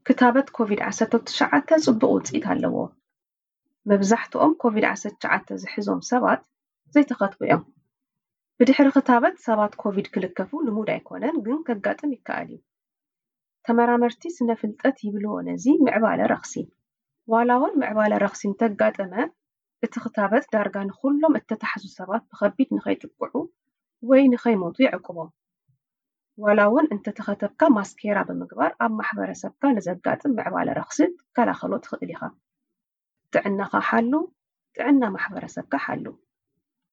ክታበት ኮቪድ ዓሰርተ ትሽዓተ ጽቡቕ ውጽኢት ኣለዎ። መብዛሕትኦም ኮቪድ ዓሰርተ ትሽዓተ ዝሕዞም ሰባት ዘይተኸትቡ እዮም። ብድሕሪ ክታበት ሰባት ኮቪድ ክልከፉ ልሙድ ኣይኮነን፣ ግን ከጋጥም ይከኣል እዩ። ተመራመርቲ ስነ ፍልጠት ይብልዎ ነዚ ምዕባለ ረኽሲ። ዋላ እውን ምዕባለ ረኽሲ እንተጋጠመ፣ እቲ ክታበት ዳርጋ ንኹሎም እተታሕዙ ሰባት ብኸቢድ ንኸይጥቅዑ ወይ ንኸይሞቱ ይዕቅቦም። ዋላ እውን እንተተኸተብካ ማስኬራ ብምግባር ኣብ ማሕበረሰብካ ንዘጋጥም ምዕባለ ረኽሲ ክትከላኸሎ ትኽእል ኢኻ። ጥዕናኻ ሓሉ፣ ጥዕና ማሕበረሰብካ ሓሉ።